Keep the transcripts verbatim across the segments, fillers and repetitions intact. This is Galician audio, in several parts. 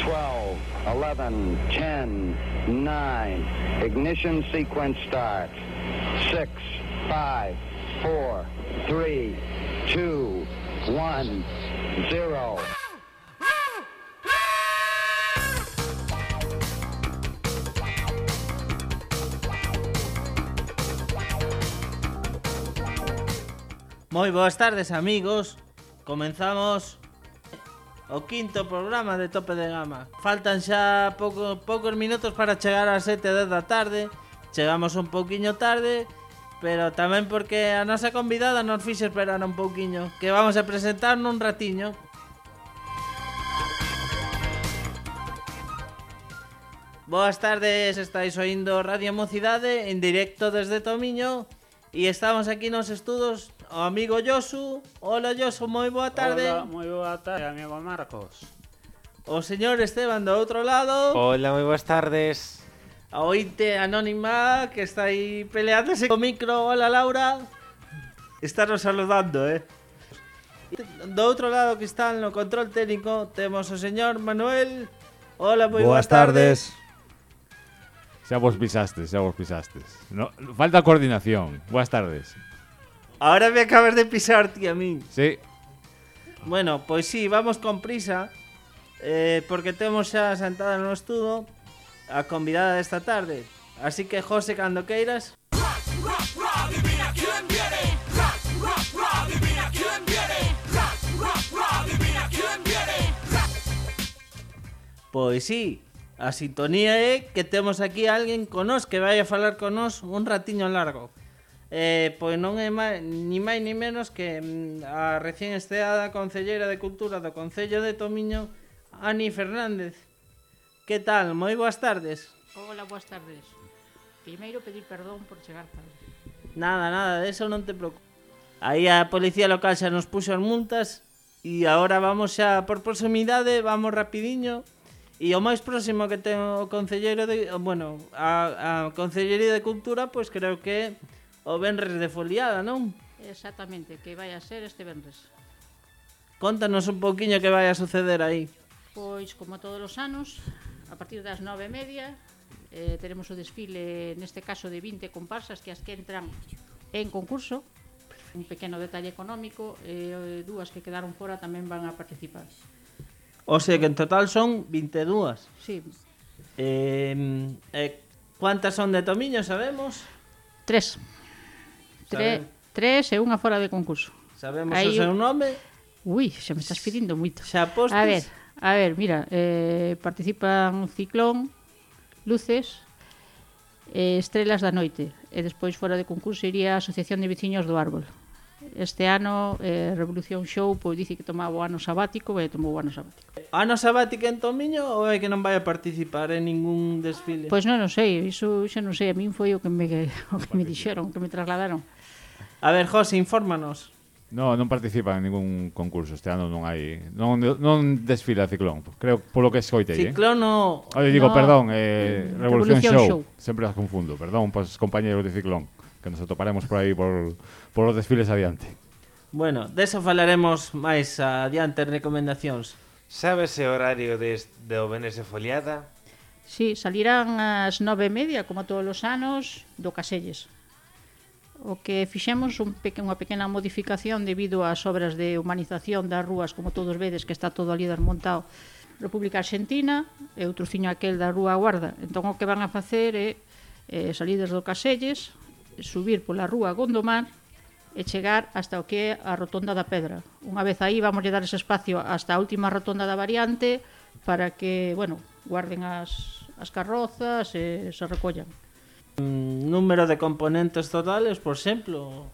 twelve, eleven, ten, nine. Ignition sequence start. six, five, four, three, two, one, zero. Moi boas tardes, amigos. Comenzamos o quinto programa de Tope de Gama. Faltan xa pouco, poucos minutos para chegar ás sete e dez da tarde. Chegamos un pouquiño tarde, pero tamén porque a nosa convidada nos fixe esperar un pouquiño, que vamos a presentar nun ratiño. Boas tardes, estáis oindo Radio Mocidade en directo desde Tomiño. E estamos aquí nos estudos o amigo Josu. Hola Josu, moi boa tarde. Hola, moi boa tarde, amigo Marcos. O señor Esteban do outro lado. Hola, moi boas tardes. A ointe anónima que está aí peleándose co micro. Hola Laura. Estános saludando, eh. Do outro lado que está no control técnico temos o señor Manuel. Hola, moi boas, boas tardes. tardes. Xa vos pisastes, xa vos pisastes. No, falta coordinación. Boas tardes. Ahora me acabas de pisar, ti, a mí. Sí. Bueno, pois sí, vamos con prisa, eh, porque temos xa sentada no estudo a convidada desta tarde. Así que, José, cando queiras. Pois sí, a sintonía é que temos aquí a alguén con nós que vai a falar con nós un ratiño largo. Eh, pois non é máis, ni máis ni menos que a recién estreada concelleira de Cultura do Concello de Tomiño, Ani Fernández. Que tal? Moi boas tardes. Hola, boas tardes. Primeiro pedir perdón por chegar tarde. Nada, nada, de eso non te preocupes. Aí a policía local xa nos puxo as multas e agora vamos xa por proximidade, vamos rapidiño. E o máis próximo que ten o concelleiro de, bueno, a, a Concellería de Cultura, pois creo que o venres de foliada, non? Exactamente, que vai a ser este venres. Contanos un pouquiño que vai a suceder aí. Pois, como todos os anos, a partir das nove e media, eh, teremos o desfile, neste caso de vinte comparsas, que as que entran en concurso. Un pequeno detalle económico, e eh, dúas que quedaron fora tamén van a participar. O sea que en total son vinte e dúas. Sí. Eh, eh, ¿Cuántas son de Tomiño, sabemos? Tres. Tre, tres e unha fora de concurso. Sabemos Aí o seu nome? Ui, xa me estás pedindo moito. Xa postes? A ver, a ver, mira, eh, participan Ciclón, Luces, eh, Estrelas da Noite. E despois fora de concurso iría a Asociación de Veciños do Árbol. Este ano, eh, Revolución Show, pois dice que tomaba o ano sabático, e tomou o ano sabático. Ano sabático en Tomiño ou é que non vai a participar en ningún desfile? Pois non, non sei, iso xa non sei, a min foi o que me, o que me dixeron, o que me trasladaron. A ver, José, infórmanos. No, non participa en ningún concurso. Este ano non hai... Non, non desfila Ciclón. Creo, polo que escoitei, eh? Ciclón no... Oye, digo, no, perdón, eh, Revolución, Revolución Show. Show. Sempre as confundo. Perdón, pues, compañeros de Ciclón, que nos atoparemos por aí por, por os desfiles adiante. Bueno, deso falaremos máis adiante en recomendacións. Sabes o horario des, de o Venres de foliada? Sí, salirán ás nove e media, como todos os anos, do Caselles. O que fixemos un peque, unha pequena modificación debido ás obras de humanización das rúas, como todos vedes que está todo ali desmontado. República Argentina e o trociño aquel da Rúa Guarda. Entón o que van a facer é eh, salir desde o Caselles, subir pola Rúa Gondomar e chegar hasta o que é a Rotonda da Pedra. Unha vez aí vamos dar ese espacio hasta a última rotonda da variante para que, bueno, guarden as, as carrozas e se recollan. Mm, número de componentes totales, por exemplo,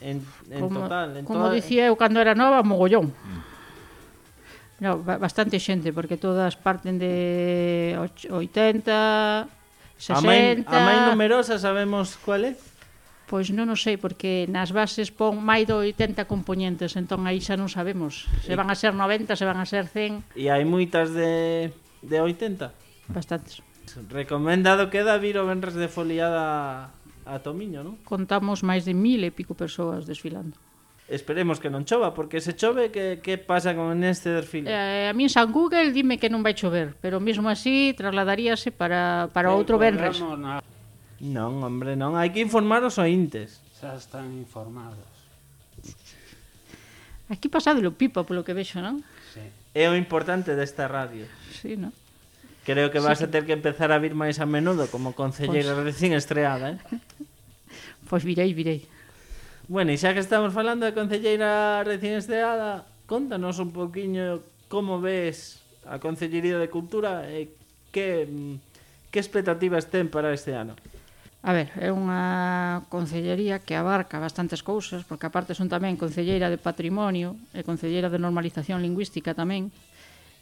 en, en como, total. En como toda... dicía eu cando era nova, mogollón. No, bastante xente, porque todas parten de oitenta, sesenta... A máis numerosa sabemos cuál é? Pois non o sei, porque nas bases pon máis de oitenta componentes, entón aí xa non sabemos se van a ser noventa, se van a ser cen. E hai moitas de, de oitenta? Bastantes. Recomendado queda vir o venres de foliada a Tomiño, non? Contamos máis de mil e pico persoas desfilando. Esperemos que non chova, porque se chove, que, que pasa con este desfile? Eh, a mí en San Google dime que non vai chover, pero mesmo así trasladaríase para, para outro venres. Na... Non, hombre, non. Hai que informar os ointes. Xa están informados. Aquí pasadelo pipa, polo que vexo, non? Sí. É o importante desta radio. Sí, non? Creo que vas a ter que empezar a vir máis a menudo como concelleira Pois. recién estreada, eh? Pois virei, virei. Bueno, e xa que estamos falando de concelleira recién estreada, contanos un poquinho como ves a Concellería de Cultura e que, que expectativas ten para este ano. A ver, é unha concellería que abarca bastantes cousas, porque aparte son tamén concelleira de Patrimonio e concelleira de Normalización Lingüística tamén.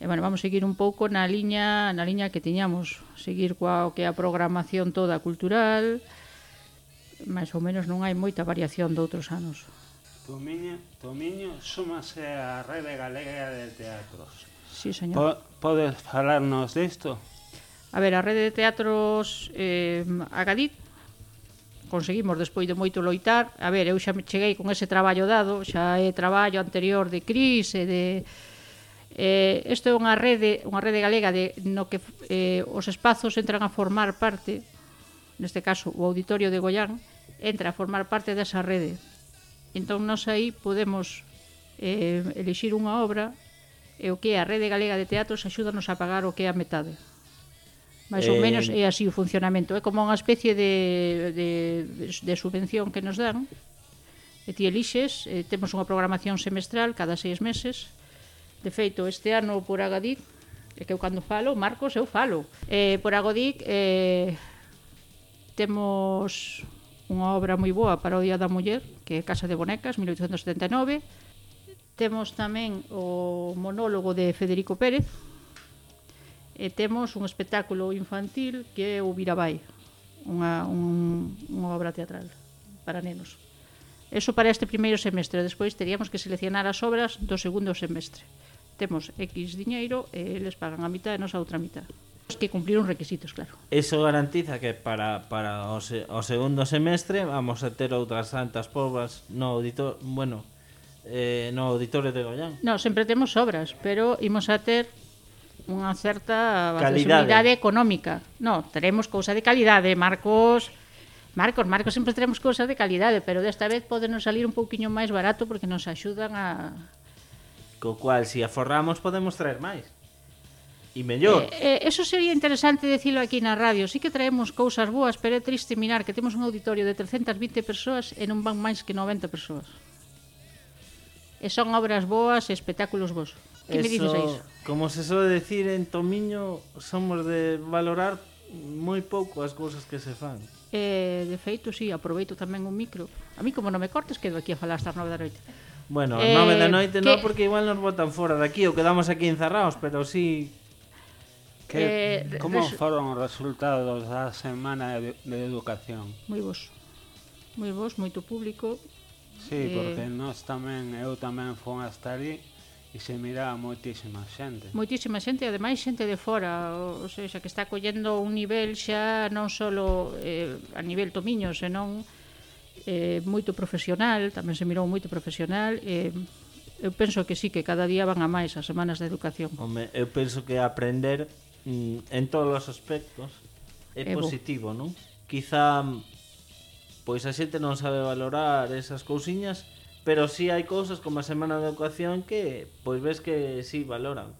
E, bueno, vamos a seguir un pouco na liña, na liña que tiñamos, seguir coa o que é a programación toda cultural, máis ou menos non hai moita variación de outros anos. Tomiño, Tomiño súmase á Rede Galega de Teatros. Sí, señor. Po podes falarnos disto? A ver, a Rede de Teatros eh, Agadit conseguimos despois de moito loitar. A ver, eu xa me cheguei con ese traballo dado, xa é traballo anterior de Cris e de... Eh, isto é unha rede, unha rede galega de, no que eh, os espazos entran a formar parte, neste caso o Auditorio de Goián, entra a formar parte desa rede. Entón, nós aí podemos eh, elixir unha obra e o que é a Rede Galega de Teatros axúdanos a pagar o que é a metade. Mais ou Eh, menos é así o funcionamento. É como unha especie de, de, de subvención que nos dan. E ti elixes, eh, temos unha programación semestral cada seis meses. De feito, este ano por Agadit, é que eu cando falo, Marcos, eu falo. Eh, por Agadit eh, temos unha obra moi boa para o Día da Muller, que é Casa de Bonecas, mil oitocentos setenta e nove. Temos tamén o monólogo de Federico Pérez. E temos un espectáculo infantil que é o Virabai, unha, un, unha obra teatral para nenos. Eso para este primeiro semestre. Despois teríamos que seleccionar as obras do segundo semestre. Temos X diñeiro e eles pagan a mitad e nos a outra mitad. Que cumplir uns requisitos, claro. Eso garantiza que para, para o, se, o segundo semestre vamos a ter outras tantas pobas no auditor, bueno, eh, no auditorio de Goián. No, sempre temos obras, pero imos a ter unha certa Calidade. accesibilidade económica. No, teremos cousa de calidade, Marcos... Marcos, Marcos, sempre teremos cousas de calidade, pero desta vez podenos salir un pouquiño máis barato porque nos axudan a... Co cual, se aforramos, podemos traer máis. E mellor. Eh, eh, eso sería interesante decirlo aquí na radio. Sí que traemos cousas boas, pero é triste mirar que temos un auditorio de trescentas vinte persoas e non van máis que noventa persoas. E son obras boas e espectáculos bons. Que me dices a iso? Como se soe decir en Tomiño, somos de valorar moi pouco as cousas que se fan. Eh, de feito, sí, aproveito tamén un micro. A mí, como non me cortes, quedo aquí a falar hasta as nove da noite. Bueno, Eh, nove da noite que- non, porque igual nos botan fora daqui ou quedamos aquí encerrados, pero sí... Que, Eh, como res- foron os resultados da Semana de, de Educación? Moi vos. Moi vos, moito público. Sí, Eh, porque nós tamén, eu tamén fui hasta ali e se miraba moitísima xente. Moitísima xente, e ademais xente de fora, o, o seja, que está collendo un nivel xa non só eh, a nivel Tomiño, senón eh, moito profesional, tamén se mirou moito profesional. Eh, eu penso que sí, que cada día van a máis as semanas de educación. Home, eu penso que aprender mm, en todos os aspectos é É bo. positivo, non? Quizá pois a xente non sabe valorar esas cousiñas, pero sí hai cousas como a Semana de Educación que pois ves que sí valoran.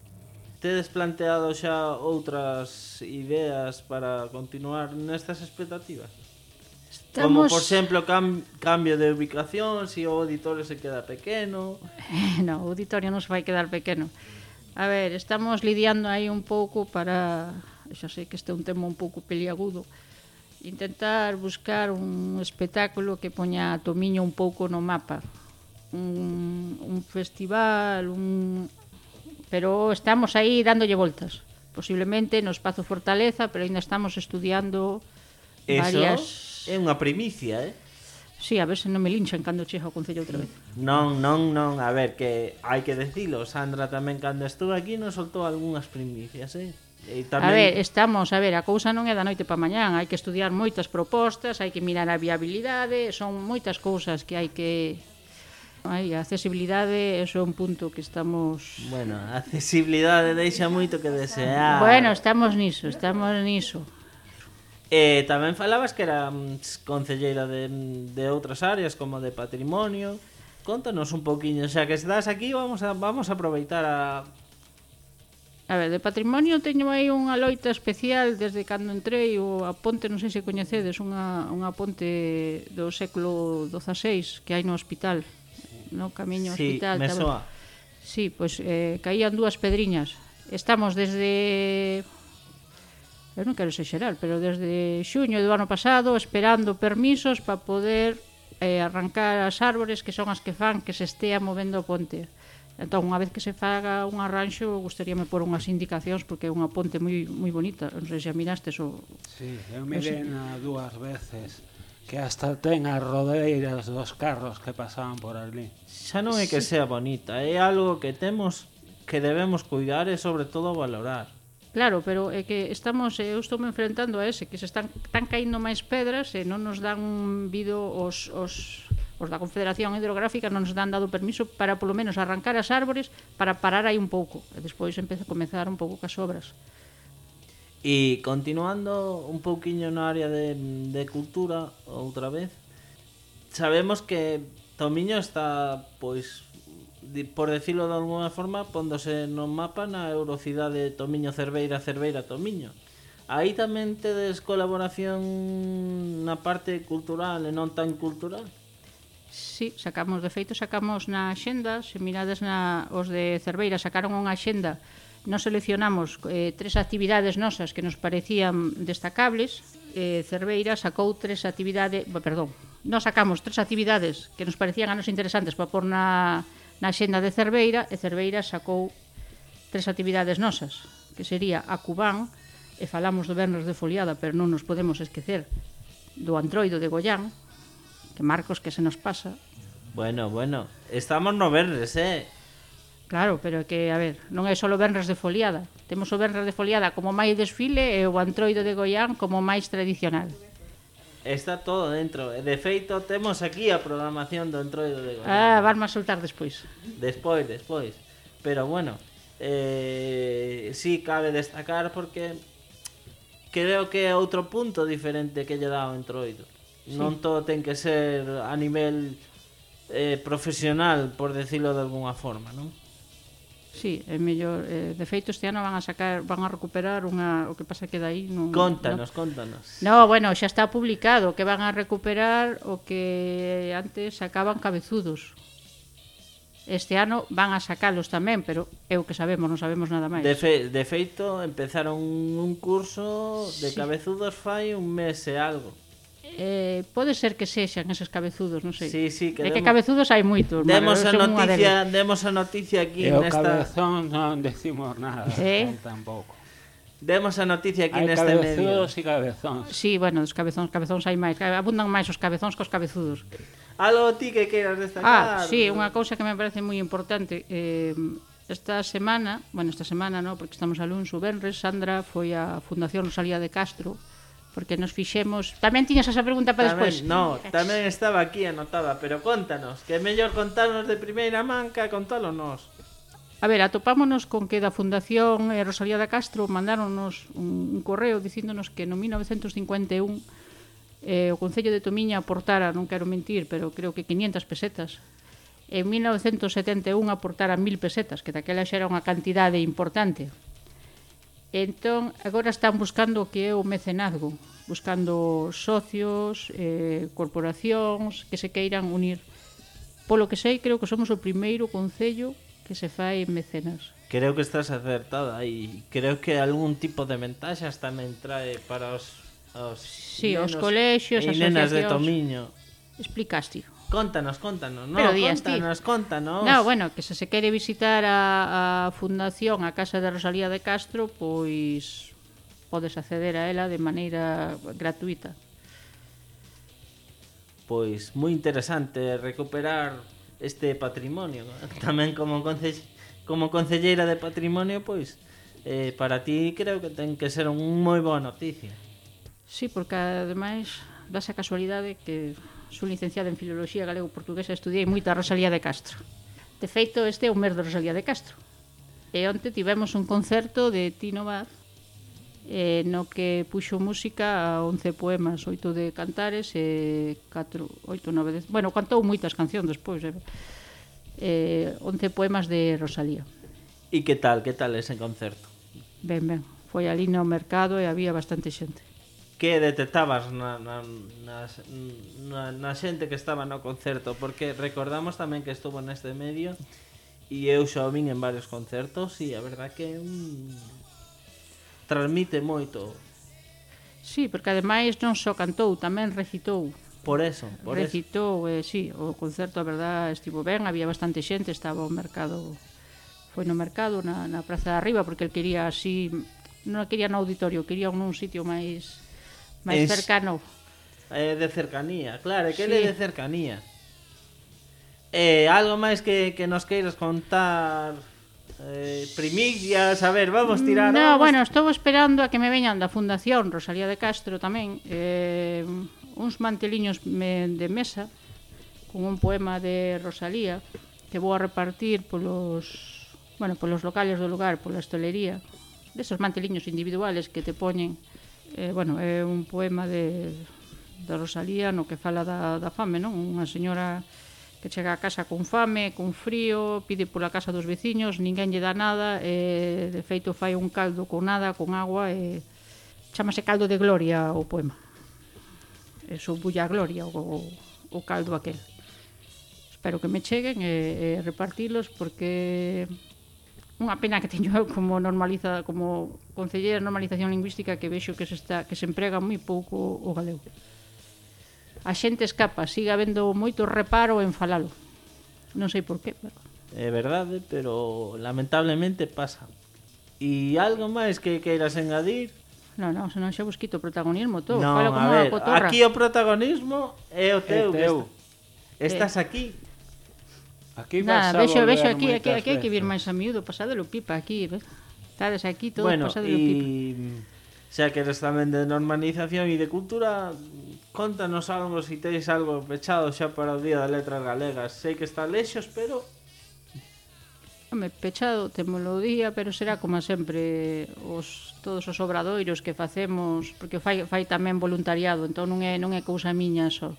Tedes planteado xa outras ideas para continuar nestas expectativas? Como, por exemplo, cam cambio de ubicación, se si o auditorio se queda pequeno... No, o auditorio non se vai quedar pequeno. A ver, estamos lidiando aí un pouco para... Xa sei que este é un tema un pouco peliagudo. Intentar buscar un espectáculo que poña a Tomiño un pouco no mapa. Un, un festival, un... Pero estamos aí dándolle voltas. Posiblemente no Espazo Fortaleza, pero ainda estamos estudiando varias... Eso é unha primicia, eh? Sí, a ver se non me linchan cando chega ao Concello outra vez. Non, non, non, a ver, que hai que decilo, Sandra tamén cando estuvo aquí nos soltou algunhas primicias, eh? E tamén... A ver, estamos, a ver, a cousa non é da noite pa mañán, hai que estudiar moitas propostas, hai que mirar a viabilidade, son moitas cousas que hai que Ai, a accesibilidade, eso é un punto que estamos... Bueno, a accesibilidade deixa moito que desear. Bueno, estamos niso, estamos niso. E tamén falabas que era mm, concelleira de, de outras áreas como de patrimonio. Contanos un poquinho, xa que estás aquí, vamos a vamos a aproveitar a A ver, de patrimonio teño aí unha loita especial desde cando entrei, o a ponte, non sei se coñecedes, unha, unha ponte do século dozaseis que hai no hospital, no camiño ao Sí, hospital. me tamén. soa. Sí, pois eh, caían dúas pedriñas. Estamos desde... Eu non quero exagerar, pero desde xuño do ano pasado esperando permisos para poder eh, arrancar as árbores que son as que fan que se estea movendo o ponte. Entón, unha vez que se faga un arranxo, gustaríame pôr unhas indicacións porque é unha ponte moi moi bonita. Non sei se a mirastes o... Sí, eu mirei na dúas veces que hasta ten as rodeiras dos carros que pasaban por ali. Xa non é que sea bonita, é algo que temos que debemos cuidar e sobre todo valorar. Claro, pero é que estamos, eu estou me enfrentando a ese, que se están, están caindo máis pedras e non nos dan vido os... os os da Confederación Hidrográfica non nos dan dado permiso para polo menos arrancar as árbores para parar aí un pouco e despois empeza a comezar un pouco cas obras. E continuando un pouquiño na área de, de cultura outra vez, sabemos que Tomiño está, pois, di- por decirlo de alguna forma, póndose no mapa na Eurocidade Tomiño Cerveira Cerveira Tomiño. Aí tamén tedes colaboración na parte cultural e non tan cultural? Sí, sacamos, de feito, sacamos na axenda, se mirades na, os de Cerveira sacaron unha axenda, nos seleccionamos eh, tres actividades nosas que nos parecían destacables, eh, Cerveira sacou tres actividades, perdón, nos sacamos tres actividades que nos parecían a nos interesantes para pôr na, na axenda de Cerveira, e Cerveira sacou tres actividades nosas, que sería a Cubán, e falamos do Venres de Foliada, pero non nos podemos esquecer do Antroido de Goián, que Marcos que se nos pasa. Bueno, bueno, estamos no Venres, eh? Claro, pero que, a ver, non é só o Venres de Foliada. Temos o Venres de Foliada como máis desfile e o Antroido de Goián como máis tradicional. Está todo dentro. E de feito, temos aquí a programación do Entroido de Goián. Ah, vas máis soltar despois. Despois, despois. Pero bueno, eh, sí cabe destacar porque creo que é outro punto diferente que lle dá o Entroido. Sí. Non todo ten que ser a nivel eh, profesional, por decirlo de alguna forma, non? Sí, é mellor, eh, de feito este ano van a sacar, van a recuperar unha, o que pasa que dai non... Contanos, non... contanos. No, bueno, xa está publicado que van a recuperar o que antes sacaban cabezudos. Este ano van a sacalos tamén, pero é o que sabemos, non sabemos nada máis. De, fe, de feito, empezaron un curso de Sí. cabezudos fai un mes e algo. Eh, pode ser que sexan eses cabezudos, non sei. Sí, sí, que é que demo- cabezudos hai moitos. Demos a Manuel, son unha noticia, deles. demos a noticia aquí E o nesta cabezón non decimos nada, Eh? tampouco. Demos a noticia aquí Hai neste medio. cabezudos e cabezóns. Sí, bueno, os cabezóns, cabezóns hai máis, abundan máis os cabezóns que os cabezudos. Algo ti que queiras Ah, destacar? sí, unha cousa que me parece moi importante. Eh, esta semana, bueno, esta semana no, porque estamos a luns, o venres, Sandra foi á Fundación Rosalía de Castro, porque nos fixemos... Tamén tiñas esa pregunta para despois? No, tamén estaba aquí anotada, pero contanos, que é mellor contarnos de primeira man que contalo nós. A ver, atopámonos con que da Fundación eh, Rosalía de Castro mandáronos un, un correo dicíndonos que no mil novecentos cincuenta e un eh, o Concello de Tomiña aportara, non quero mentir, pero creo que quinientas pesetas. En mil novecentos setenta e un aportara mil pesetas, que daquela xa era unha cantidade importante. Entón, agora están buscando o que é o mecenazgo, buscando socios, eh, corporacións que se queiran unir. Polo que sei, creo que somos o primeiro concello que se fai mecenas. Creo que estás acertada e creo que algún tipo de ventaxas tamén trae para os, os Sí, os nenos colexios, e nenas de asociacións. Tomiño. Explicaste. Contanos, contanos, no, Pero días, ti. contanos, contanos. No, bueno, que se se quere visitar a, a Fundación, a Casa de Rosalía de Castro, pois podes acceder a ela de maneira gratuita. Pois moi interesante recuperar este patrimonio. Tamén como conce... como concelleira de patrimonio, pois eh, para ti creo que ten que ser un moi boa noticia. Sí, porque ademais dase a casualidade que Sou licenciada en Filoloxía Galego-Portuguesa e estudiei moita Rosalía de Castro. De feito, este é o mes de Rosalía de Castro. E onte tivemos un concerto de Tino Vaz eh, no que puxo música a once poemas, oito de Cantares e catro, oito, nove, dez... Bueno, cantou moitas cancións despois, eh, eh, once poemas de Rosalía. E que tal, que tal ese concerto? Ben, ben, foi ali no mercado e había bastante xente. Que detectabas na, na, na, na, na xente que estaba no concerto? Porque recordamos tamén que estuvo neste medio e eu xa o vin en varios concertos e a verdad que um, transmite moito. Sí, porque ademais non só cantou, tamén recitou. Por eso, por recitou, eh, sí, o concerto a verdad estivo ben, había bastante xente, estaba o mercado, foi no mercado, na, na Praza de Arriba, porque el quería así, non quería no auditorio, quería nun sitio máis máis Es- cercano. Eh, de cercanía, claro, é que Sí. ele é de cercanía. Eh, algo máis que, que nos queiras contar, eh, primicias, a ver, vamos tirar. No, vamos... bueno, estou esperando a que me veñan da Fundación Rosalía de Castro tamén, eh, uns manteliños me, de mesa con un poema de Rosalía que vou a repartir polos, bueno, polos locales do lugar, pola hostelería, desos manteliños individuales que te poñen. Eh, bueno, é un poema de, de Rosalía no que fala da, da fame, non? Unha señora que chega a casa con fame, con frío, pide pola casa dos veciños, ninguén lle dá nada, e de feito fai un caldo con nada, con agua, e chamase Caldo de Gloria o poema. E bulla a gloria o, o caldo aquel. Espero que me cheguen e, e repartilos porque unha pena que teño eu como normaliza, como concellera de normalización lingüística que vexo que se está que se emprega moi pouco o galego. A xente escapa, sigue habendo moito reparo en falalo. Non sei por qué, pero... É verdade, pero lamentablemente pasa. E algo máis que queiras engadir? Non, non, senón xa vos quito o protagonismo todo. Non, Fala como a unha ver, cotorra. aquí o protagonismo é o teu. É teu. que est- Estás aquí. Aquí vas Nada, a vexo, volver vexo aquí, aquí, moitas aquí hai que vir veces. máis a miúdo, pasadelo pipa aquí, ves? Estades aquí todos Bueno, pasadelo pipa. e xa que eres tamén de normalización e de cultura, contanos algo se teis algo pechado xa para o Día das Letras Galegas. Sei que está lexos, pero Home, pechado, témolo o día, pero será como sempre os, todos os obradoiros que facemos, porque fai, fai tamén voluntariado, entón non é, non é cousa miña só.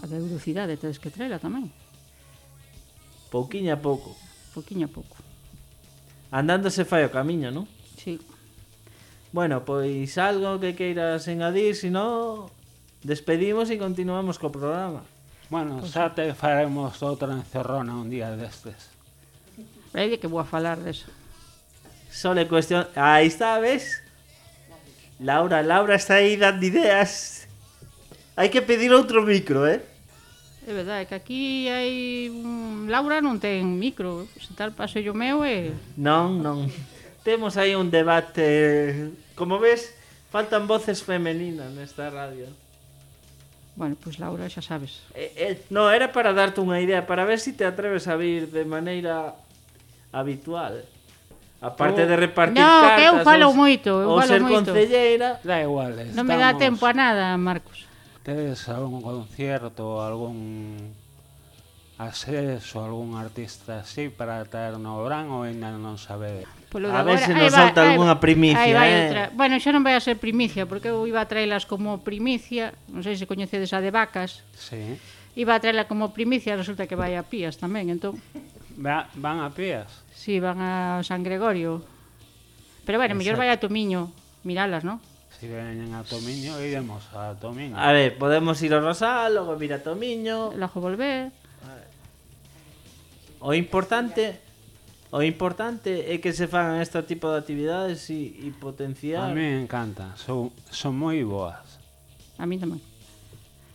A de velocidade tedes que traela tamén, pouquiño a pouco. pouquiño a pouco. Andando se fai o camiño, non? Sí. Bueno, pois algo que queiras engadir, se non despedimos e continuamos co programa. Bueno, xa te faremos outra encerrona un día destes. É que vou a falar deso. Só é cuestión... Aí está, ves? Laura, Laura está aí dando ideas. Hai que pedir outro micro, eh? É verdade, que aquí hai... un- Laura non ten micro, se tal paso yo meu e... Non, non. Temos aí un debate... Como ves, faltan voces femeninas nesta radio. Bueno, pois pues Laura, xa sabes. Eh, eh, no, era para darte unha idea, para ver se si te atreves a vir de maneira habitual. Aparte Oh. de repartir No, cartas... que eu falo ou- moito, eu ou falo ser moito. concelleira... Da igual, estamos... Non me dá tempo a nada, Marcos. Tedes algún concierto, algún acceso, algún artista así para traer no verán ou ainda non sabedes? Polo de A ver agora- se aí nos vai- salta aí algunha vai- primicia, aí vai eh. outra. Bueno, xa non vai a ser primicia, porque eu iba a traelas como primicia, non sei se coñecedes a de vacas, Sí. iba a traela como primicia, resulta que vai a Pías tamén, entón, Va, van a pías? si, van a San Gregorio. Pero bueno, mellor vai a Tomiño, miralas, non? Si veñen a Tomiño, iremos a Tomiño. A ver, podemos ir ao Rosal, logo vir a Tomiño... Logo volver. O importante... O importante é que se fagan este tipo de actividades e, e potenciar... A mí me encanta, son, son moi boas. A mí tamén.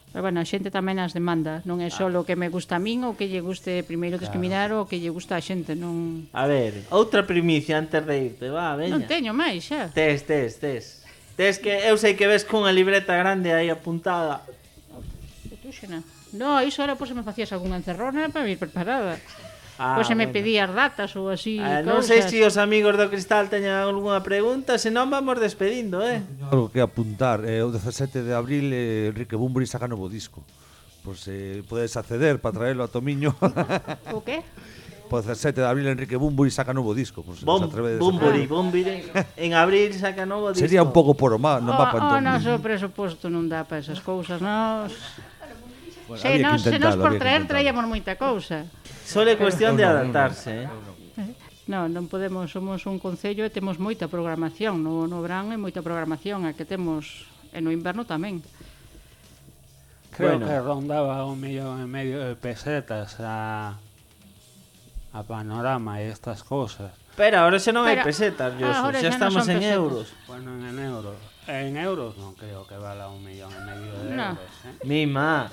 Pero bueno, a xente tamén as demanda, non é só o que me gusta a min ou que lle guste primeiro discriminar ou que lle gusta a xente, non A ver, outra primicia antes de irte, va, veña. non teño máis xa. Tes, tes, tes. Tes que eu sei que ves cunha libreta grande aí apuntada. Que tú, xena. No, iso era pois se me facías algunha encerrona para vir preparada. Ah, Pois se me bueno. pedías datas ou así, Ah, cousas. non sei se os amigos do Cristal teñen algunha pregunta, senón vamos despedindo, eh. Algo que apuntar, eh, o dezasete de abril eh, Enrique Bumbri saca novo disco. pues eh, podes acceder para traerlo a Tomiño. O que? Po dezasete de abril Enrique Bunbury saca novo disco, pues, Bom, os atrevedes a- Bumburi, Bumburi. En abril saca novo disco. Sería un pouco por o má, non va para O, o entón. noso presuposto non dá para esas cousas, nos... Bueno, Se había que nos, se nos intentalo, por había que traer intentalo. traíamos moita cousa. Solo é cuestión de adaptarse, eh. Non, non podemos, somos un concello e temos moita programación. No, no verán é moita programación, a que temos, e no inverno tamén. Creo Bueno. que rondaba un millón e medio de pesetas a, a Panorama e estas cosas. Pero ahora xa non hai Pero- pesetas, Josu. ahora Xa xa non estamos son en pesetas. euros. Bueno, en euros. En euros non creo que vala un millón e medio de No. euros. Eh? Mima.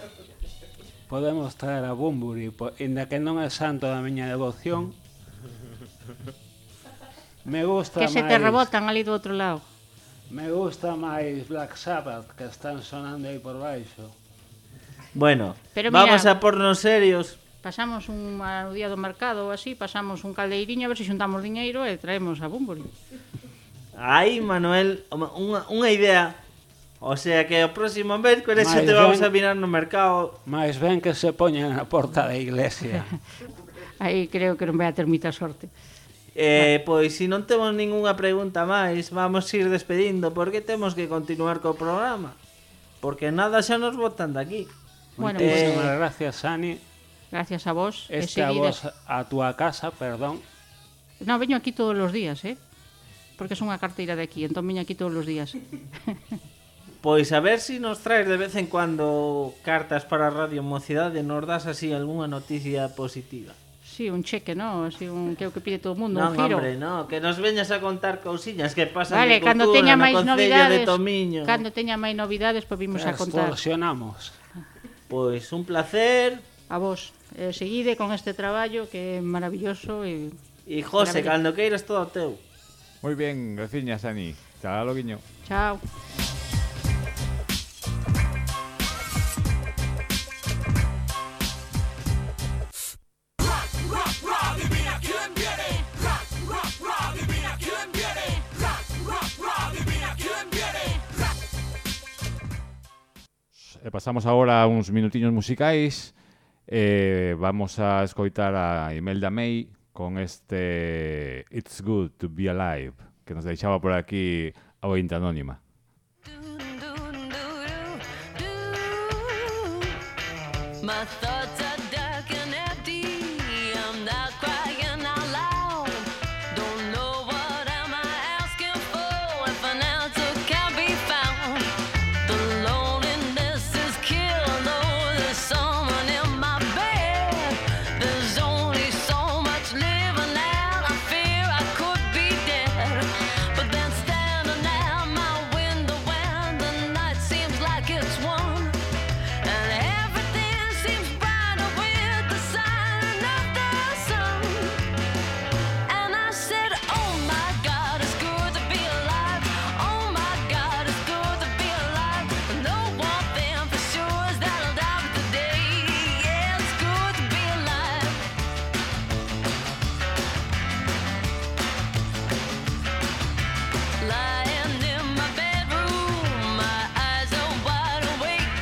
Podemos traer a Bunbury, po- inda que non é santo da miña devoción. Me gusta Que se te máis- rebotan ali do outro lado. Me gusta máis Black Sabbath, que están sonando aí por baixo. Bueno, Pero mira- vamos a pornos serios. Pasamos un a- o día do mercado ou así, pasamos un caldeiriño a ver se xuntamos diñeiro e traemos a Bunbury. Aí, Manuel, home, unha, unha idea. O sea que o próximo mércoles xa Mais te vamos ben- a mirar no mercado. Mais ben que se poñan na porta da iglesia. Aí creo que non vai a ter moita sorte. Eh, pois, se non temos ningunha pregunta máis, vamos ir despedindo, porque temos que continuar co programa. Porque nada xa nos botan de aquí. Bueno, Eh, Moitísimas gracias, Ani. Gracias a vos. e Este a seguides- vos a túa casa, perdón. No, veño aquí todos os días, eh? Porque son unha carteira de aquí, entón veño aquí todos os días. Pois a ver se nos traes de vez en cuando cartas para Radio Mocidade, nos das así algunha noticia positiva. Sí, un cheque, ¿no? Así un que é o que pide todo o mundo, Non, un giro. hombre, no, que nos veñas a contar cousiñas que pasan Vale, de cando cultura teña no máis Concello novidades, de Tomiño. cando teña máis novidades, pois vimos a contar. Extorsionamos. Pois un placer. A vos, eh, seguide con este traballo que é maravilloso e E José, Maravilla. cando queiras todo teu. Moi ben, graciñas, Ani. Chao, loguiño. chao. E pasamos agora a uns minutiños musicais. Eh, vamos a escoitar a Imelda May con este It's Good to Be Alive, que nos deixaba por aquí a ointe anónima. My thoughts are dark and empty. I'm not crying out loud. Don't know what am I asking for if an answer can't be found. The loneliness is killing. Oh, there's someone in my bed. There's only so much living out. I fear I could be dead. But then standing at my window when the night seems like it's one. And everything seems brighter with the sign of the sun. And I said, oh my God, it's good to be alive. Oh my God, it's good to be alive. I know one thing for sure is that I'll die today. Yeah, it's good to be alive. Lying in my bedroom, my eyes are wide awake.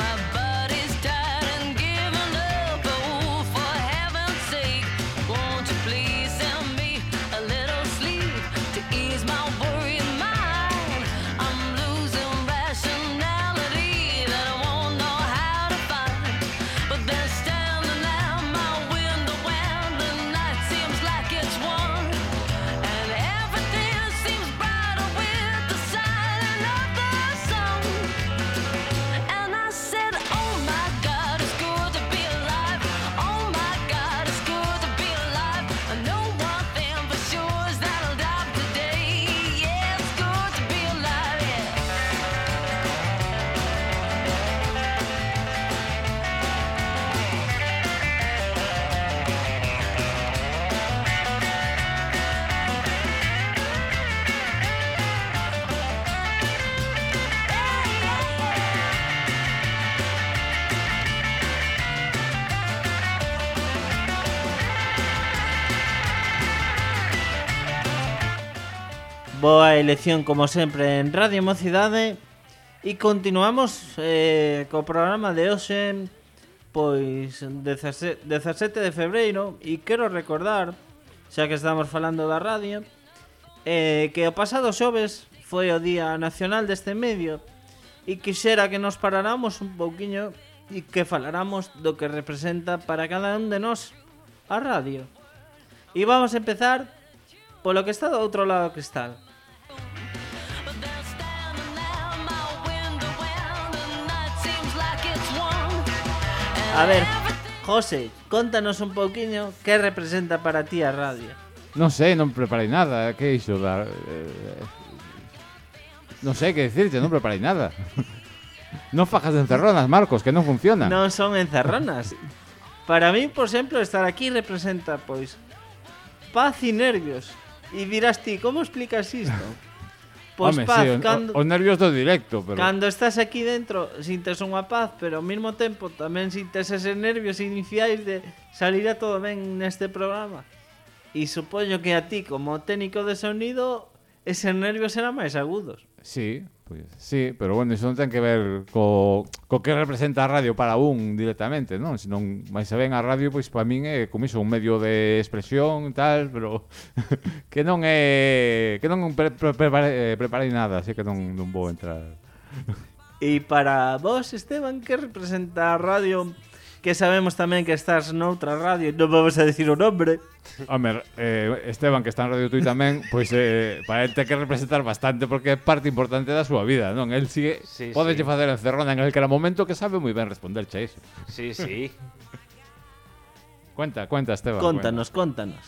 My body's tired and giving up. Oh, for heaven's sake, won't you please send me a little sleep to ease my worried mind? I'm losing rationality that I won't know how to find. But then standing at my window when the night seems like it's one, and everything seems brighter with the sign of the sun. And I said, oh my God, it's good to be alive. Oh my God, it's good to be alive. I know one thing for sure is that I'll die today. Yeah, it's good to be alive, yeah. Boa elección como sempre en Radio Mocidade. E continuamos eh, co programa de hoxe, pois dezasete de febreiro, e quero recordar, xa que estamos falando da radio, eh, que o pasado xoves foi o Día Nacional deste medio, e quixera que nos paráramos un pouquiño e que faláramos do que representa para cada un de nós a radio. E vamos a empezar polo que está do outro lado do cristal. A ver, José, contanos un pouquiño que representa para ti a radio. Non sei, non preparei nada. Que é iso da... Eh, non sei que decirte, non preparei nada. Non fajas de encerronas, Marcos, que non funciona. Non son encerronas. Para mí, por exemplo, estar aquí representa, pois, paz e nervios. E dirás ti, como explicas isto? Pois Home, paz, sí, o- cando, os nervios do directo, pero... cando estás aquí dentro sintes unha paz, pero ao mesmo tempo tamén sintes eses nervios iniciais de salir a todo ben neste programa. E supoño que a ti, como técnico de sonido, eses nervios serán máis agudos. Sí, pois, sí, pero bueno, iso non ten que ver co, co que representa a radio para un directamente, non? Se non máis se ven a radio, pois para min é como iso, un medio de expresión e tal, pero que non é que non pre, pre, preparei, preparei nada, así que non, non vou entrar. E para vos, Esteban, que representa a radio? Que sabemos tamén que estás noutra radio, non vamos a decir o nombre. Home, eh, Esteban, que está en Radio Tui tamén, pois eh, para ele ten que representar bastante porque é parte importante da súa vida, non? El sigue, Sí, pode sí. facer encerrona en el que era momento que sabe moi ben responderche a iso. Sí, sí. Cuenta, cuenta, Esteban. Contanos, contanos.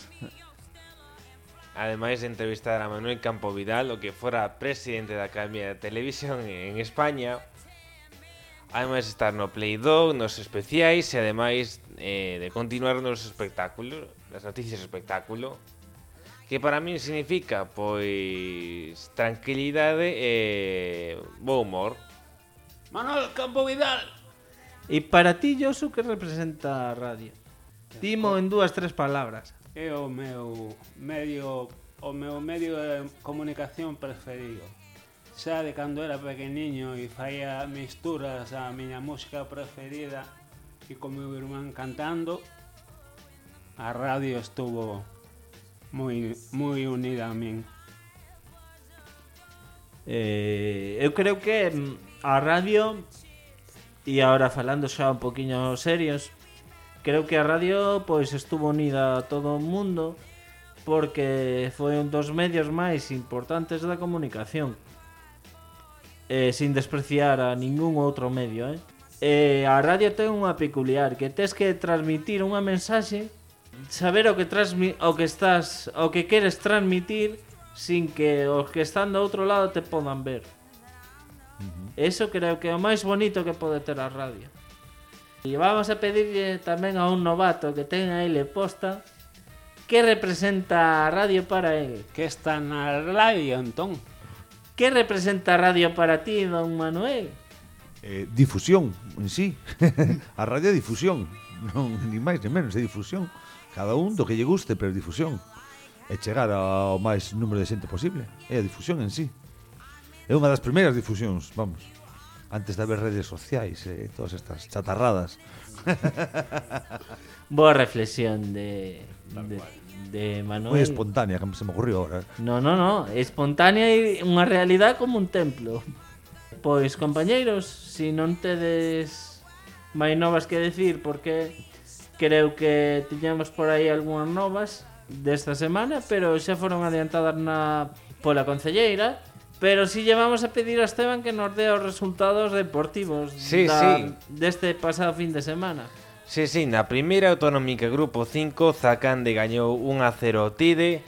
Ademais de entrevistar a Manuel Campo Vidal, o que fora presidente da Academia de Televisión en España, ademais de estar no Play Dog, nos especiais e ademais eh, de continuar nos espectáculos, nas noticias de espectáculo, que para min significa, pois, tranquilidade e bo humor. Manuel Campo Vidal. E para ti, Josu, que representa a radio? Dimo en dúas, tres palabras. É o meu medio, o meu medio de comunicación preferido. Xa de cando era pequeniño e faía misturas a miña música preferida e con meu irmán cantando, a radio estuvo moi moi unida a min. Eh, eu creo que mm, a radio, e agora falando xa un poquinho serios, creo que a radio pois estuvo unida a todo o mundo porque foi un dos medios máis importantes da comunicación. Eh, sin despreciar a ningún outro medio, eh? Eh, a radio ten unha peculiar, que tes que transmitir unha mensaxe, saber o que transmi o que estás, o que queres transmitir sin que os que están do outro lado te podan ver. Uh-huh. Eso creo que é o máis bonito que pode ter a radio. E vamos a pedirle tamén a un novato que ten a ele posta que representa a radio para ele. Que está na radio, entón? Que representa a radio para ti, don Manuel? Eh, difusión, en sí. A radio é difusión. Non, ni máis ni menos, é difusión. Cada un do que lle guste, pero difusión. É chegar ao máis número de xente posible. É a difusión en sí. É unha das primeiras difusións, vamos. Antes de haber redes sociais e eh, todas estas chatarradas. Boa reflexión de, de, de Manuel. Moi espontánea, que se me ocurriu ahora. No, no, no, espontánea e unha realidade como un templo. Pois, compañeiros, se si non tedes máis novas que decir, porque creo que tiñamos por aí algunhas novas desta semana, pero xa foron adiantadas na pola concelleira. Pero si llevamos a pedir a Esteban que nos dé os resultados deportivos Sí, da, sí. deste pasado fin de semana. Sí, sí, na primeira autonómica grupo cinco, Zacande gañou un a cero ao Tide,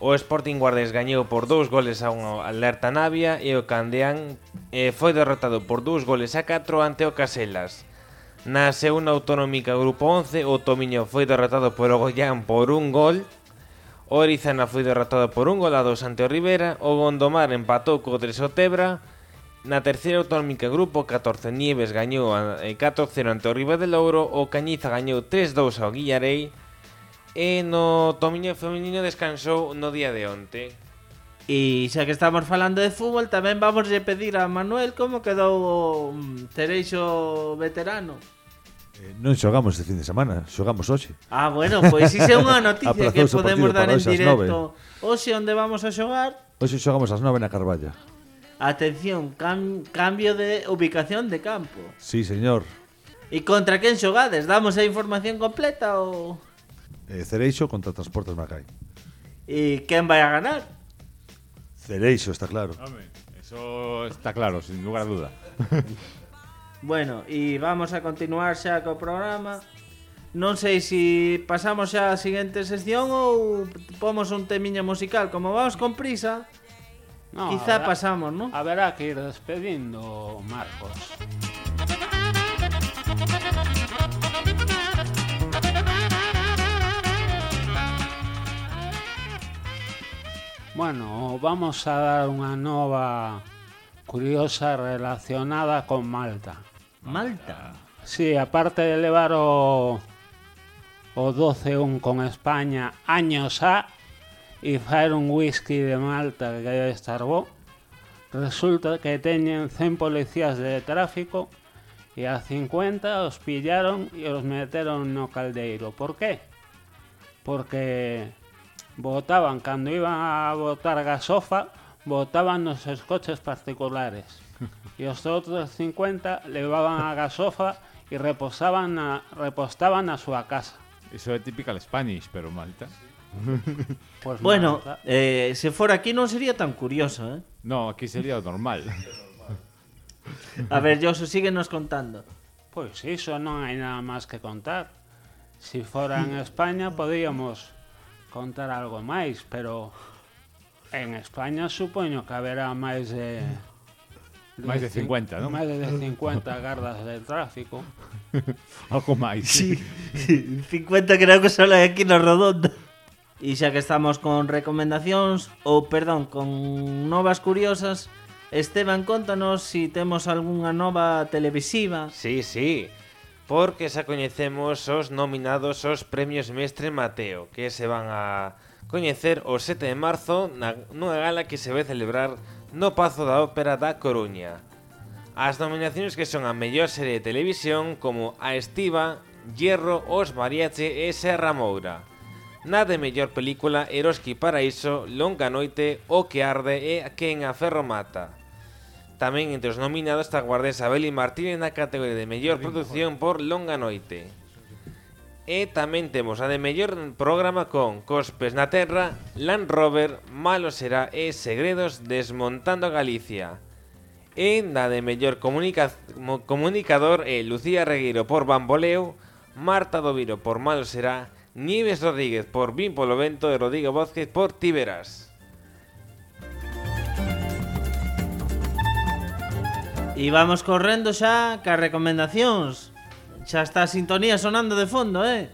o Sporting Guardés gañou por dous goles a un Alerta Navia e o Candeán eh, foi derrotado por dous goles a catro ante o Caselas. Na segunda autonómica grupo once, o Tomiño foi derrotado por o Goián por un gol, o Orizana foi derrotado por un gol a dos ante o Rivera, o Gondomar empatou co tres o Tebra. Na terceira autonómica grupo catorce, Nieves gañou catro cero ante o Ribadelouro, o Cañiza gañou tres dous ao Guillarei e no Tomiño feminino descansou no día de onte. E xa que estamos falando de fútbol, tamén vamos a pedir a Manuel como quedou o mm, Tereixo veterano. Eh, non xogamos este fin de semana, xogamos hoxe. Ah, bueno, pois iso é unha noticia que Aprazouse o podemos partido dar para en hoxe ás directo. Hoxe onde vamos a xogar? Hoxe xogamos ás nove na Carballa. Atención, cam cambio de ubicación de campo. Sí, señor. E contra quen xogades? Damos a información completa ou... Eh, Cereixo contra Transportes Macai. E quen vai a ganar? Cereixo, está claro. Home, eso está claro, sin lugar a duda. Bueno, e vamos a continuar xa co programa. Non sei se pasamos xa a seguinte sección ou pomos un temiño musical. Como vamos con prisa, No, quizá habrá- pasamos, ¿no? Haberá que ir despedindo, Marcos. Bueno, vamos a dar unha nova curiosa relacionada con Malta. Malta. Sí, aparte de levar o, o doce un con España años a e faer un whisky de Malta que debe estar bo, resulta que teñen cen policías de tráfico e a cincuenta os pillaron e os meteron no caldeiro. Por qué? Porque botaban, cando iban a botar gasofa, botaban nos seus coches particulares. E os outros cincuenta levaban a gasofa e reposaban na, repostaban na súa casa. Eso é typical Spanish, pero Malta. Pues Bueno, Malta- eh, se fora aquí non sería tan curioso, eh? No, aquí sería o normal. A ver, Josu, síguenos contando. Pois iso non hai nada máis que contar. Si fora en España podíamos contar algo máis, pero en España supoño que haberá máis de... Máis de cincuenta, non? Máis de cincuenta gardas de tráfico. Algo máis. Sí, cincuenta creo que só hai aquí na redonda. E xa que estamos con recomendacións, ou perdón, con novas curiosas, Esteban, contanos si temos algunha nova televisiva. Sí, sí, porque xa coñecemos os nominados aos Premios Mestre Mateo, que se van a coñecer o sete de marzo na, nunha gala que se vai celebrar no Pazo da Ópera da Coruña. As nominacións que son a mellor serie de televisión como A Estiva, Hierro, Os Mariachi e Serra Moura. Na de mellor película Eroski Paraíso, Longa Noite, O que arde e Quen a ferro mata. Tamén entre os nominados está a guardesa Beli Martínez na categoría de mellor produción por Longa Noite. E tamén temos a de mellor programa con Cospes na Terra, Land Rover, Malo será e Segredos desmontando Galicia. E na de mellor comunica mo- comunicador é Lucía Regueiro por Bamboleo, Marta Doviro por Malo será, Nieves Rodríguez por Vin polo Vento e Rodrigo Vázquez por Ti verás. E vamos correndo xa cas recomendacións. Xa está a sintonía sonando de fondo, eh?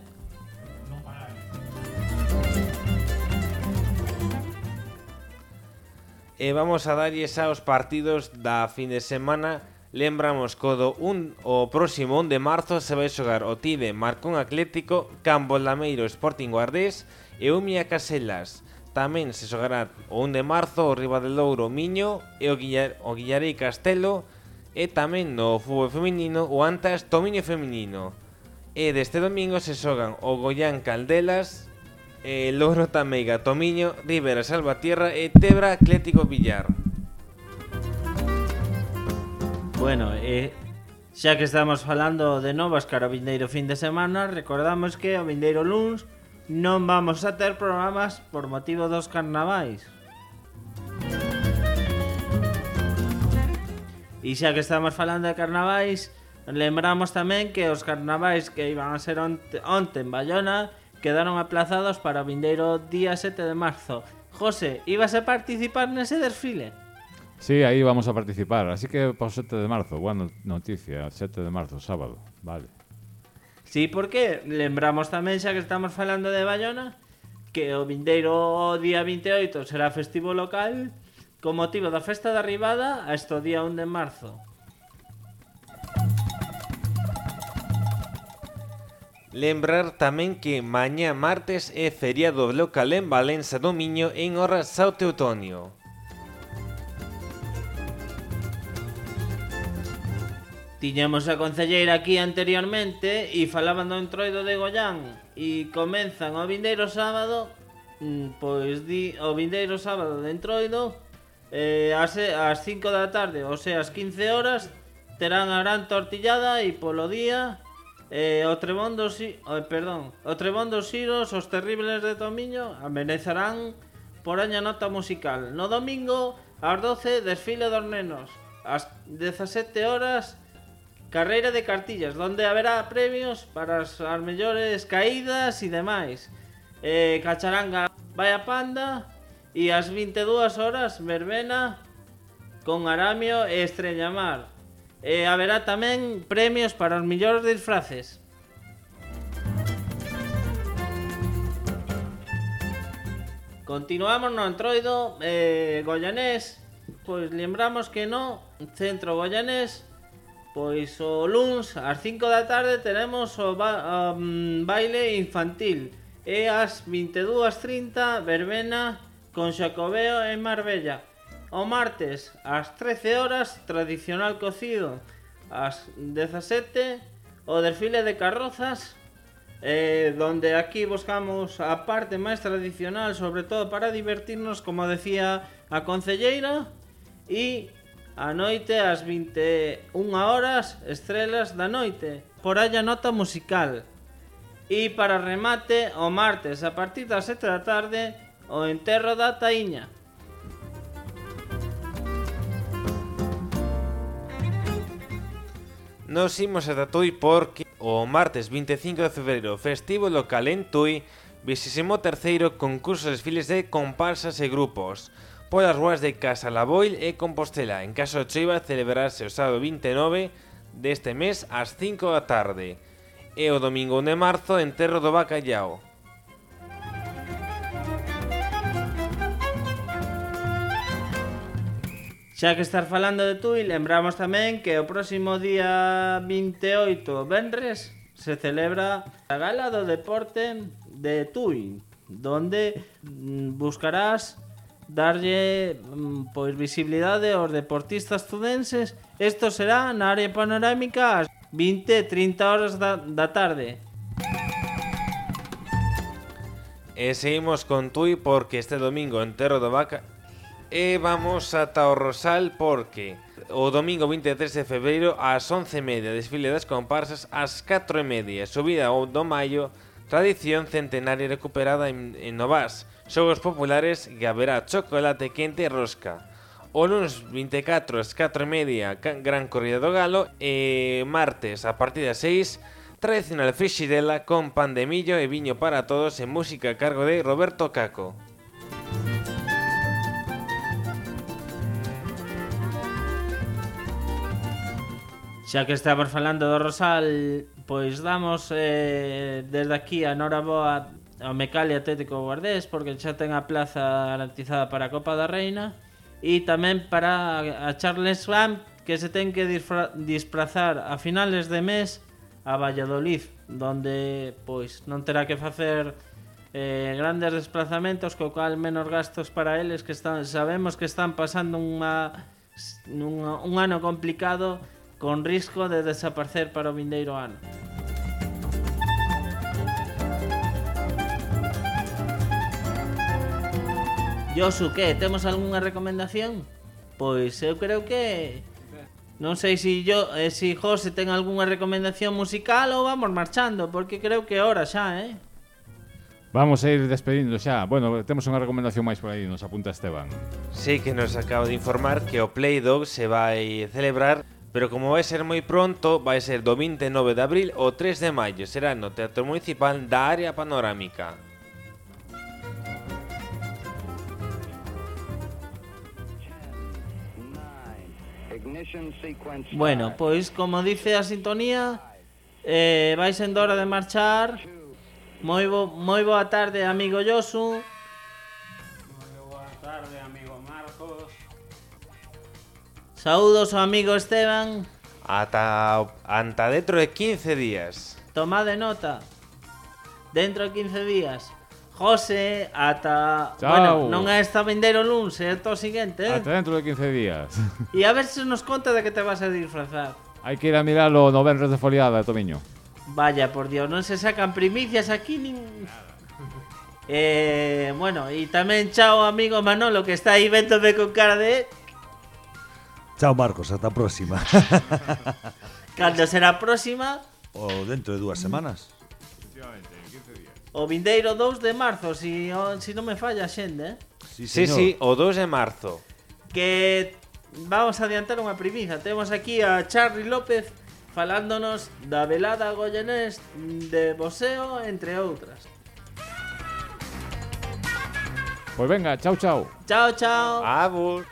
E vamos a darlles aos partidos da fin de semana. Lembramos que o, do un, o próximo un de marzo se vai xogar o Tide Marcón Atlético, Campo Lameiro Sporting Guardés e Umia Caselas. Tamén se xogará o un de marzo o Ribadelouro Miño e o, Guillar, o Guillarei Castelo e tamén no fútbol feminino o Antas Tomiño Feminino. E deste domingo se xogan o Goián Caldelas, e Louro Tameiga Tomiño, Rivera Salvatierra e Tebra Atlético Villar. Bueno, eh, xa que estamos falando de novas cara o vindeiro fin de semana, recordamos que o vindeiro luns non vamos a ter programas por motivo dos carnavais. E xa que estamos falando de carnavais, lembramos tamén que os carnavais que iban a ser onte, onte en Bayona quedaron aplazados para o vindeiro día sete de marzo. José, ibas a participar nese desfile? Sí, aí vamos a participar. Así que para o sete de marzo, boa no- noticia, sete de marzo, sábado. Vale. Sí, porque lembramos tamén, xa que estamos falando de Bayona, que o vindeiro día vinte e oito será festivo local con motivo da festa da Ribada hasta o día un de marzo. Lembrar tamén que mañá martes é feriado local en Valença do Miño en hora Sao Teutonio. Tiñamos a concelleira aquí anteriormente e falaban do entroido de Goián e comenzan o vindeiro sábado, mm, pois di o vindeiro sábado de entroido eh, ás, ás cinco da tarde, ou sea, ás quince horas, terán a gran tortillada e polo día eh, o trebón dos si- oh, perdón, o trebón dos Xiros, os terribles de Tomiño amenezarán por aña nota musical. No domingo, ás doce, desfile dos nenos. Ás dezasete horas, carreira de cartillas, donde haberá premios para as, as mellores caídas e demais. Eh, Cacharanga vai a Panda e ás vinte e dúas horas, verbena con Aramio e Estrellamar. E haberá tamén premios para os mellores disfraces. Continuamos no entroido eh, goianés. Pois lembramos que no centro goianés, pois o luns ás cinco da tarde teremos o ba um, baile infantil e ás vinte e dúas trinta verbena con Xacobeo en Marbella. O martes ás trece horas tradicional cocido. Ás dezasete o desfile de carrozas, eh, donde aquí buscamos a parte máis tradicional, sobre todo para divertirnos, como decía a concelleira, e a noite ás vinte e unha horas estrelas da noite, por aí a nota musical. E para remate, o martes a partir das sete da tarde, o enterro da taíña. Nos imos ata Tui porque o martes vinte e cinco de febreiro, festivo local en Tui, vixésimo terceiro concurso de desfiles de comparsas e grupos polas ruas de Casalaboil e Compostela. En caso de choiva, celebrarse o sábado vinte e nove deste mes ás cinco da tarde e o domingo un de marzo, enterro do bacallao. Xa que estar falando de Tui, lembramos tamén que o próximo día vinte e oito, venres, se celebra a Gala do Deporte de Tui, donde mm, buscarás darlle mm, pois visibilidade aos deportistas tudenses. Isto será na área panorámica ás vinte e trinta horas da, da tarde. E seguimos con Tui porque este domingo enterro do vaca. E vamos ata o Rosal porque o domingo vinte e tres de febreiro ás once e media, desfile das comparsas ás catro e media, subida ao do Maio, tradición centenaria recuperada en, en Novas, xogos populares que haberá chocolate quente e rosca. O lunes vinte e catro ás catro e media, gran corrida do galo, e martes a partir das seis, tradicional frixidela con pan de millo e viño para todos e música a cargo de Roberto Caco. Xa que estamos falando do Rosal, pois damos eh, desde aquí a noraboa ao Mecal e Atlético Guardés, porque xa ten a plaza garantizada para a Copa da Reina, e tamén para a Charles Lamb, que se ten que disfrazar a finales de mes a Valladolid, donde pois non terá que facer eh, grandes desplazamentos, co cal menos gastos para eles, que están, sabemos que están pasando unha, unha, un ano complicado, con risco de desaparecer para o vindeiro ano. Josu, que? Temos algunha recomendación? Pois eu creo que... Non sei se yo, eh, si José ten algunha recomendación musical ou vamos marchando, porque creo que é hora xa, eh? Vamos a ir despedindo xa. Bueno, temos unha recomendación máis por aí, nos apunta Esteban. Sí, que nos acaba de informar que o Play Dog se vai celebrar, pero como vai ser moi pronto, vai ser do vinte e nove de abril ao tres de maio. Será no Teatro Municipal da Área Panorámica. Bueno, pois como dice a sintonía, eh, vai sendo hora de marchar. Moi, bo, moi boa tarde, amigo Josu. Moi boa tarde, amigo Marcos. Saúdos ao amigo Esteban. Ata, anta dentro de quince días. Tomade nota. Dentro de quince días. José, ata... Chao. Bueno, non é esta vindeiro luns, é o seguinte, eh? Ata dentro de quince días. E a ver se nos conta de que te vas a disfrazar. Hai que ir a miralo no Benres de Foliada, Tomiño. Vaya, por Dios, non se sacan primicias aquí nin... Eh, bueno, e tamén chao amigo Manolo, que está aí véndome con cara de... Chao, Marcos, hasta a próxima. Cando será a próxima? O dentro de dúas semanas. O vindeiro dous de marzo, si, o, si non me falla a xende, eh? Sí, señor. sí, o dos de marzo. Que vamos a adiantar unha primicia. Temos aquí a Charly López falándonos da velada goyenés de boxeo, entre outras. Pois venga, chao, chao. Chao, chao. Abur.